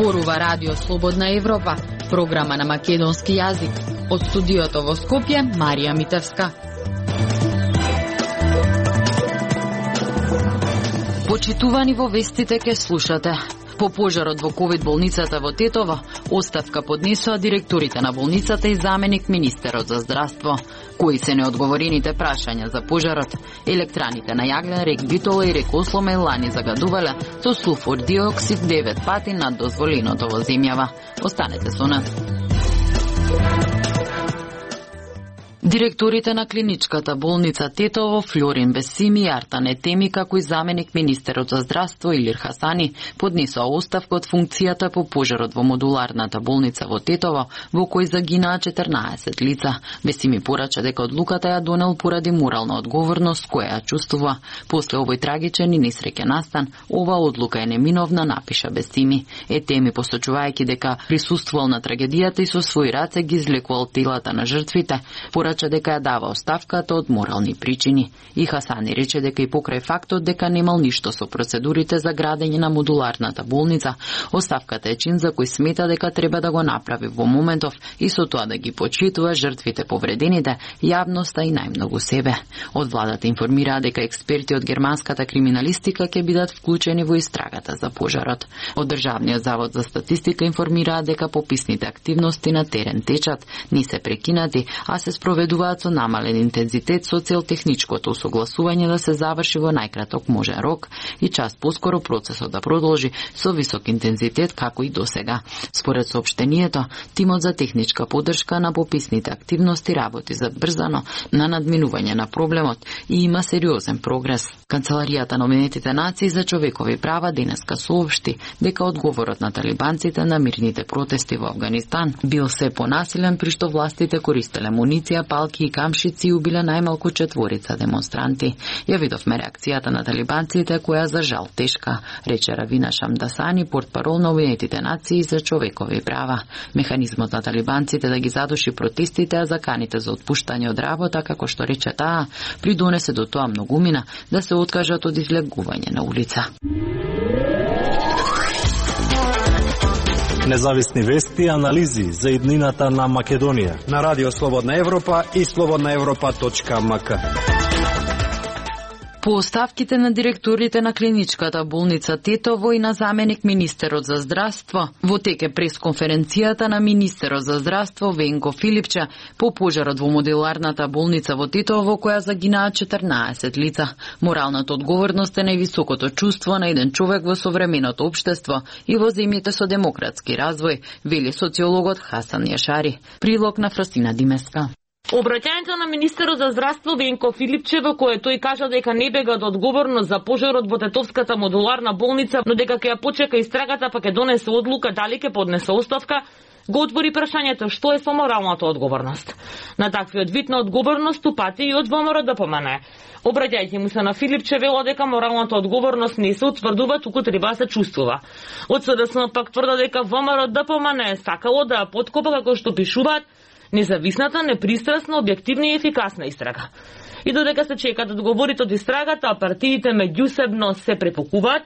Зборува Радио Слободна Европа, програма на македонски јазик. Од студиото во Скопје, Марија Митевска. Почитувани во вестите ке слушате. По пожарот во ковид болницата во Тетово, оставка поднесоа директорите на болницата и заменик министерот за здравство. Кои се неодговорените прашања за пожарот? Електраните на јаглен, рек Битола и рек Осломе лани загадувале со сулфур диоксид 9 пати над дозволеното во земјава. Останете со нас. Директорите на клиничката болница Тетово, Флорин Бесими и Артан Етеми, како и заменик министерот за здравство Илир Хасани, поднесоа оставка од функцијата по пожарот во модуларната болница во Тетово, во кој загинаа 14 лица. Бесими порача дека одлуката ја донел поради морална одговорност која ја чувствува. После овој трагичен и несреќен настан, ова одлука е неминовна, напиша Бесими. Етеми, посочувајќи дека присуствувал на трагедијата и со своји раце ги извлекувал телата на жртвите, порача дека ја дава оставката од морални причини. И Хасани рече дека и покрај фактот дека немал ништо со процедурите за градење на модуларната болница, оставката е чин за кој смета дека треба да го направи во моментов и со тоа да ги почитува жртвите повредените, јавноста и најмногу себе. Од владата информираа дека експерти од германската криминалистика ќе бидат вклучени во истрагата за пожарот. Од Државниот завод за статистика информираа дека пописните активности на терен течат, не се прекинати, а се спроведуваат со намален интензитет со цел техничкото усогласување да се заврши во најкраток можен рок и час поскоро процесот да продолжи со висок интензитет како и досега. Според соопштението, тимот за техничка поддршка на пописните активности работи забрзано на надминување на проблемот и има сериозен прогрес. Канцеларијата на Обединетите нации за човекови права денеска соопшти дека одговорот на талибанците на мирните протести во Авганистан бил се понасилен при што властите користеле муниција, палки и камшици и убиле најмалку 4 демонстранти. Ја видовме реакцијата на талибанците која за жал тешка, рече Равина Шамдасани, портпарол на Обединетите нации за човекови права. Механизмот на талибанците да ги задуши протестите, а заканите за отпуштање од работа, како што рече таа, придонесе до тоа многумина да се откажат од излегување на улица. Независни вести и анализи за иднината на Македонија на Радио Слободна Европа и slobodnaevropa.mk. По оставките на директорите на клиничката болница Тетово и на заменик министерот за здравство, во тек е пресконференцијата на министерот за здравство Венко Филипче по пожарот во модуларната болница во Тетово, која загинаа 14 лица. Моралната одговорност е највисокото чувство на еден човек во современото општество и во земјите со демократски развој, вели социологот Хасан Јашари. Прилог на Фростина Димеска. Обраќањето на министерот за здравство Венко Филипче, во кое тој кажа дека не бега од одговорност за пожарот во Тетовската модуларна болница, но дека ќе ја почека истрагата, па ќе донесе одлука дали ќе поднесе оставка, го отвори прашањето што е со моралната одговорност. На таквиот вид на одговорност упати и од ВМРО ДПМН. Обраќајќи му се на Филипче, вело дека моралната одговорност не се утврдува, туку треба да се чувствува. Од СДСМ пак тврда дека ВМРО ДПМН е сакало да ја поткопа, како што пишуваат, независната, непристрасна, објективна и ефикасна истрага. И додека се чекаат одговорите од истрагата, а партиите меѓусебно се препокуваат,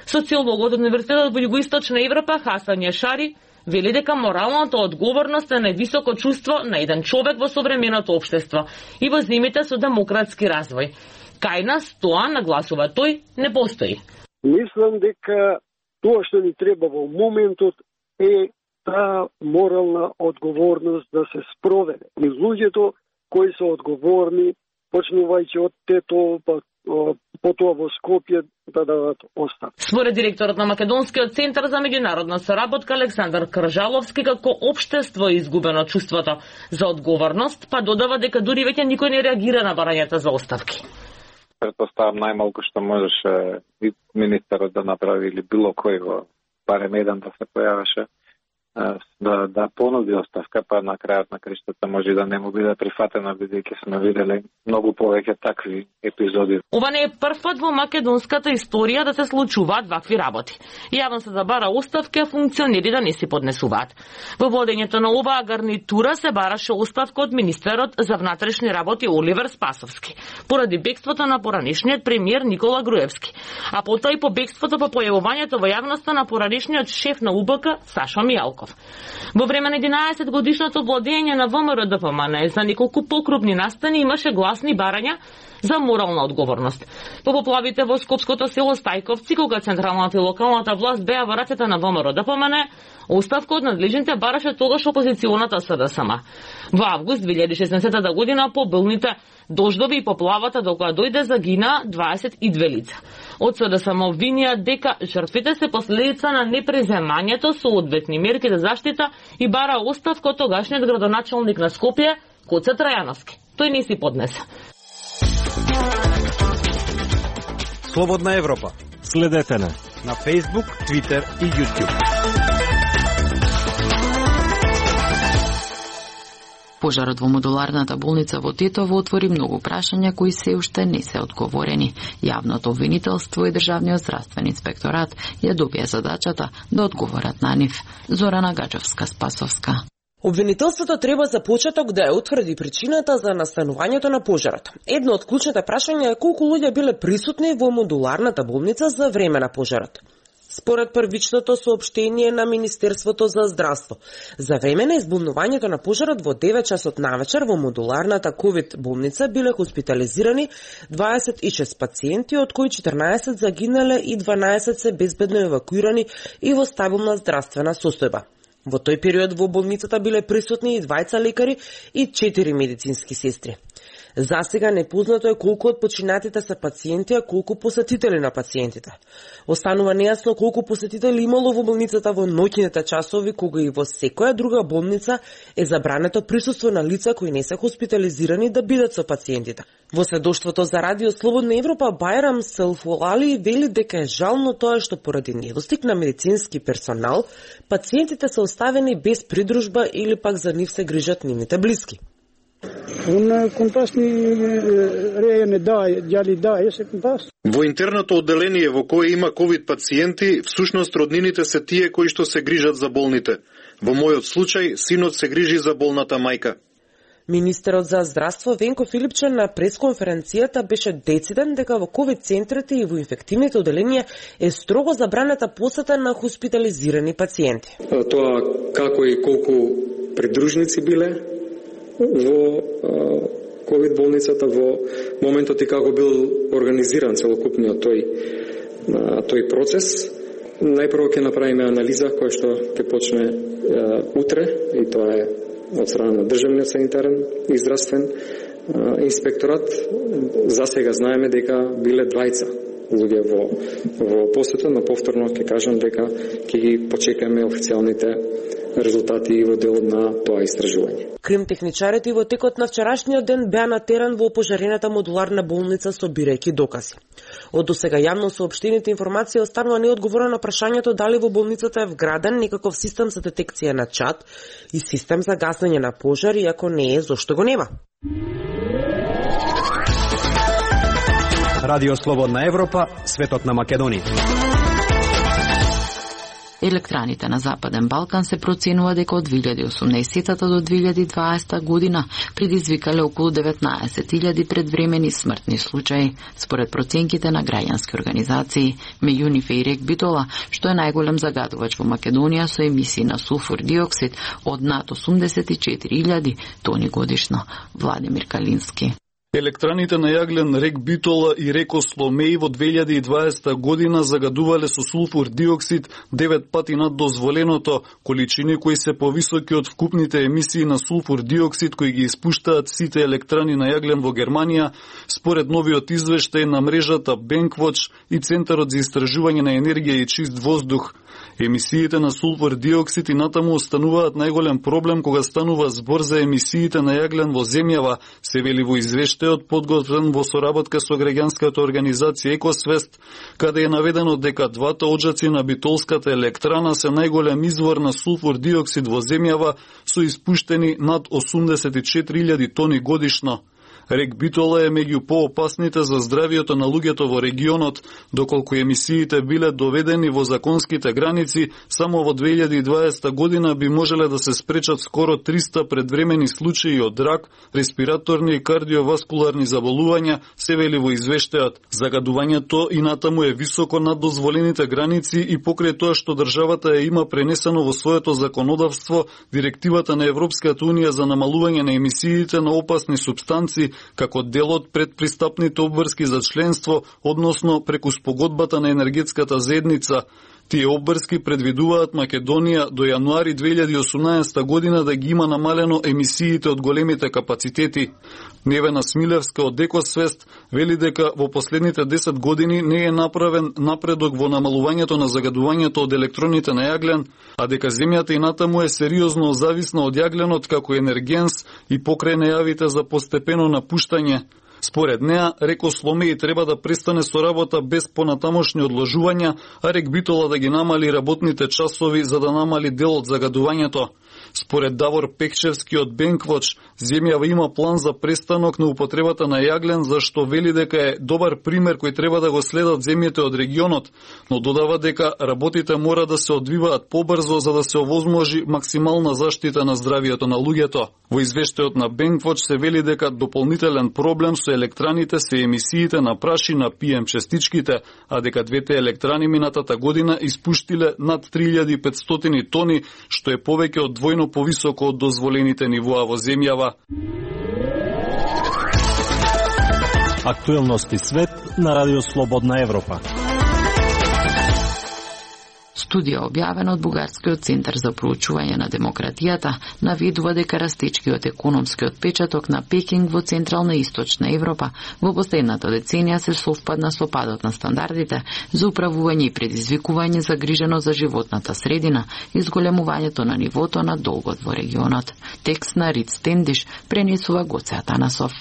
социологот од Универзитетот во Југоисточна Европа Хасан Јашари вели дека моралната одговорност е највисоко чувство на еден човек во современото општество и во земјите со демократски развој. Кај нас тоа, нагласува тој, не постои. Мислам дека тоа што ни треба во моментот е таа морална одговорност да се спроведе. И луѓето кои се одговорни, почнувајќи од Тетово, потоа во Скопје, да дадат оставка. Според директорот на Македонскиот центар за меѓународна соработка Александар Кржаловски, како општество е изгубено чувството за одговорност, па додава дека дури веќе никој не реагира на барањата за оставки. Претпоставам најмалку што можеше и министерот да направи или било кој во барем еден да се појавеше, да понуди оставка, па на крајот на криштата може да не му биде прифатена, бидејќи сме виделе многу повеќе такви епизоди. Ова не е прв пат во македонската историја да се случуваат вакви работи. Јавно се забара оставка, а функционери да не си поднесуваат. Во водењето на оваа гарнитура се бараше оставка од министерот за внатрешни работи Оливер Спасовски, поради бегството на поранешниот премиер Никола Груевски, а потоа и по бегството по појавувањето во јавноста на поранешниот шеф на УБК Сашо Мијалков. Во време на 11 годишното владење на ВМРО ДПМН за неколку покрупни настани имаше гласни барања за морална одговорност. По поплавите во скопското село Стајковци, кога централната и локалната власт беа во рацете на ВМРО ДПМН, оставка од надлежните бараше тогаш опозиционата СДСМ. Во август 2016 година по билните дождови и поплавата до која дојде загина 22 лица. Од СДСМ обвинија дека жртвите се последица на непреземањето соодветни мерки за заштита и бара оставка од тогашниот градоначалник на Скопје Гоце Трајановски. Тој не си поднесе. Слободна Европа. Следете на Facebook, Twitter и YouTube. Пожарот во модуларната болница во Тетово отвори многу прашања кои се уште не се одговорени. Јавното обвинителство и Државниот здравствен инспекторат ја добија задачата да одговорат на нив. Зорана Гаджовска-Спасовска. Обвинителството треба за почеток да ја утврди причината за настанувањето на пожарот. Едно од клучните прашања е колку луѓе биле присутни во модуларната болница за време на пожарот. Според првичното соопштение на Министерството за здравство, за време на избунувањето на пожарот во 9 часот навечер во модуларната ковид болница биле хоспитализирани 26 пациенти, од кои 14 загинале и 12 се безбедно евакуирани и во стабилна здравствена состојба. Во тој период во болницата биле присутни и 2 лекари и 4 медицински сестри. Засега непознато е колку од починатите се пациенти, а колку посетители на пациентите. Останува нејасно колку посетители имало во болницата во ноќните часови, кога и во секоја друга болница е забрането присуство на лица кои не се хоспитализирани да бидат со пациентите. Во сведоштвото за Радио Слободна Европа, Бајрам Селфолали вели дека е жално тоа што поради недостиг на медицински персонал, пациентите се оставени без придружба или пак за нив се грижат нивните блиски. Во интерното одделение во кое има ковид пациенти, всушност роднините се тие кои што се грижат за болните. Во мојот случај, синот се грижи за болната мајка. Министерот за здравство Венко Филипче на пресконференцијата беше дециден дека во ковид центрите и во инфективните одделенија е строго забранета посета на хоспитализирани пациенти. Тоа како и колку придружници биле во ковид болницата во моментот и како бил организиран целокупниот тој процес. Најпрво ќе направиме анализа која што ќе почне утре, и тоа е од страна на Државниот санитарен и здравствен инспекторат. За сега знаеме дека биле 2 луѓе во посета, но повторно ќе кажам дека ќе ги почекаме официјалните резултати и во делот на тоа истражување. Кримтехничарите во текот на вчерашниот ден беа на терен во опожарената модуларна болница собирајќи докази. Од досега јавно соопштените информации останува неодговорено на прашањето дали во болницата е вграден некаков систем за детекција на чад и систем за гасење на пожар, и ако не е, зошто го нема? Радио Слободна Европа, светот на Македонија. Електраните на Западен Балкан се проценува дека од 2018 до 2020 година предизвикале околу 19.000 предвремени смртни случаи, според проценките на граѓански организации, меѓу нив и рек Битола, што е најголем загадувач во Македонија со емисии на сулфур диоксид од над 84.000 тони годишно. Владимир Калински. Електраните на јаглен рек Битола и рек Осломеј во 2020 година загадувале со сулфур диоксид 9 пати над дозволеното, количини кои се повисоки од вкупните емисии на сулфур диоксид кои ги испуштаат сите електрани на јаглен во Германија, според новиот извештај на мрежата Bankwatch и Центарот за истражување на енергија и чист воздух. Емисиите на сулфур диоксид и натаму остануваат најголем проблем кога станува збор за емисиите на јаглен во земјава, се вели во извештајот подготвен во соработка со граѓанската организација Екосвест, каде е наведено дека двата оджаци на битолската електрана се најголем извор на сулфур диоксид во земјава со испуштени над 84.000 тони годишно. Рек Битола е меѓу поопасните за здравието на луѓето во регионот, доколку емисиите биле доведени во законските граници, само во 2020 година би можеле да се спречат скоро 300 предвремени случаи од рак, респираторни и кардиоваскуларни заболувања, се вели во извештајот. Загадувањето и натаму е високо над дозволените граници и покрај тоа што државата ја има пренесено во своето законодавство директивата на Европската унија за намалување на емисиите на опасни супстанци како дел од предпристапните обврски за членство, односно преку спогодбата на енергетската заедница. Тие обврски предвидуваат Македонија до јануари 2018 година да ги има намалено емисиите од големите капацитети. Невена Смилевска од Екосвест вели дека во последните 10 години не е направен напредок во намалувањето на загадувањето од електроните на јаглен, а дека земјата и натаму е сериозно зависна од јагленот како енергенс и покрај најавите за постепено напуштање. Според неа, Рекосломеј треба да престане со работа без понатамошни одложувања, а Рек Битола да ги намали работните часови за да намали дел од загадувањето. Според Давор Пекчевски од Бенквоч, земјава има план за престанок на употребата на јаглен, зашто вели дека е добар пример кој треба да го следат земјите од регионот, но додава дека работите мора да се одвиваат побрзо за да се овозможи максимална заштита на здравието на луѓето. Во извештајот на Бенквоч се вели дека дополнителен проблем со електраните се емисиите на прашина PM честичките, а дека двете електрани минатата година испуштиле над 3500 тони, што е повеќе од двојно повисоко од дозволените нивоа во земјава. Актуелности свет на Радио Слободна Европа. Студија објавена од Бугарскиот центар за проучување на демократијата навидува дека растечкиот економски отпечаток на Пекинг во Централна и Источна Европа во последната деценија се совпадна со падот на стандардите за управување и предизвикување загрижено за животната средина и зголемувањето на нивото на долгот во регионот. Текст на Риц Тендиш пренесува Гоце Атанасов.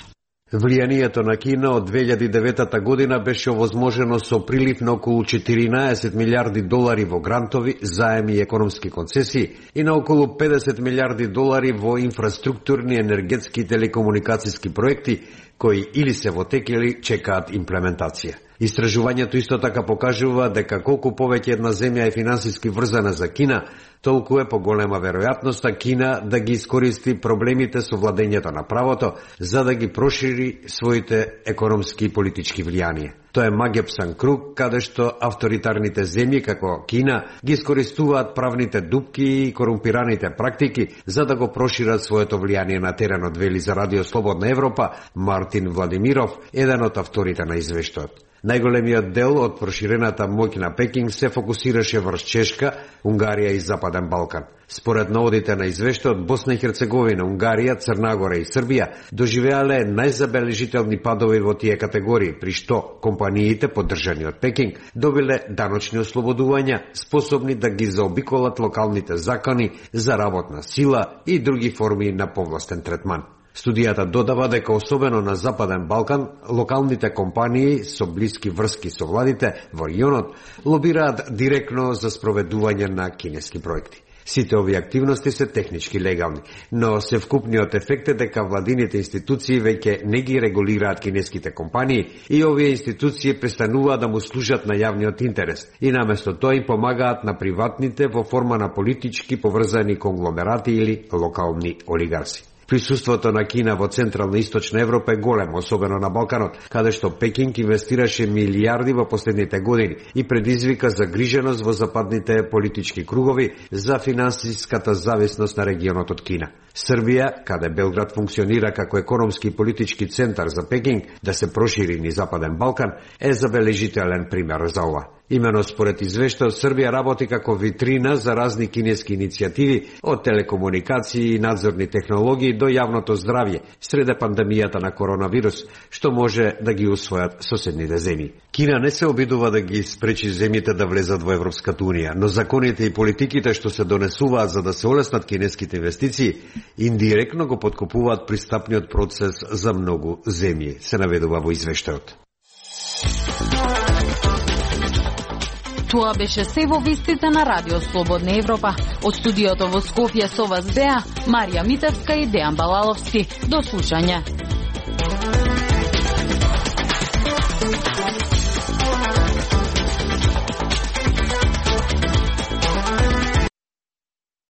Влијанието на Кина од 2009 година беше овозможено со прилив на околу 14 милиарди долари во грантови, заеми и економски концесии и на околу 50 милиарди долари во инфраструктурни, енергетски и телекомуникацијски проекти, кои или се во тек или чекаат имплементација. Истражувањето исто така покажува дека колку повеќе една земја е финансиски врзана за Кина, толку е поголема веројатноста Кина да ги искористи проблемите со владењето на правото за да ги прошири своите економски и политички влијанија. Тоа е магепсан круг каде што авторитарните земји како Кина ги искористуваат правните дупки и корумпираните практики за да го прошират своето влијание на теренот, вели за Радио Слободна Европа Мартин Владимиров, еден од авторите на извештајот. Најголемиот дел од проширената моќ на Пекинг се фокусираше врз Чешка, Унгарија и Западен Балкан. Според наводите на извештајот, Босна и Херцеговина, Унгарија, Црна Гора и Србија доживеале најзабележителни падови во тие категории, при што компаниите поддржани од Пекинг добиле даночни ослободувања, способни да ги заобиколат локалните закони за работна сила и други форми на повластен третман. Студијата додава дека особено на Западен Балкан, локалните компании со блиски врски со владите во регионот лобираат директно за спроведување на кинески проекти. Сите овие активности се технички легални, но севкупниот ефект е дека владините институции веќе не ги регулираат кинеските компании и овие институции престануваат да му служат на јавниот интерес и наместо тоа им помагаат на приватните во форма на политички поврзани конгломерати или локални олигарси. Присуството на Кина во Централна и Источна Европа е големо, особено на Балканот, каде што Пекинг инвестираше милиарди во последните години и предизвика загриженост во западните политички кругови за финансиската зависност на регионот од Кина. Србија, каде Белград функционира како економски и политички центар за Пекинг да се прошири низ Западен Балкан, е забележителен пример за ова. Имено според извештајот, Србија работи како витрина за разни кинески иницијативи, од телекомуникации и надзорни технологии до јавното здравје среде пандемијата на коронавирус, што може да ги усвојат соседните земји. Кина не се обидува да ги спречи земјите да влезат во Европската унија, но законите и политиките што се донесуваат за да се олеснат кинеските инвестиции, индиректно го подкопуваат пристапниот процес за многу земји, се наведува во извештајот. Тоа беше се во вестите на Радио Слободна Европа. Од студиото во Скопје со вас беа Марија Митевска и Дејан Балаловски. До слушање.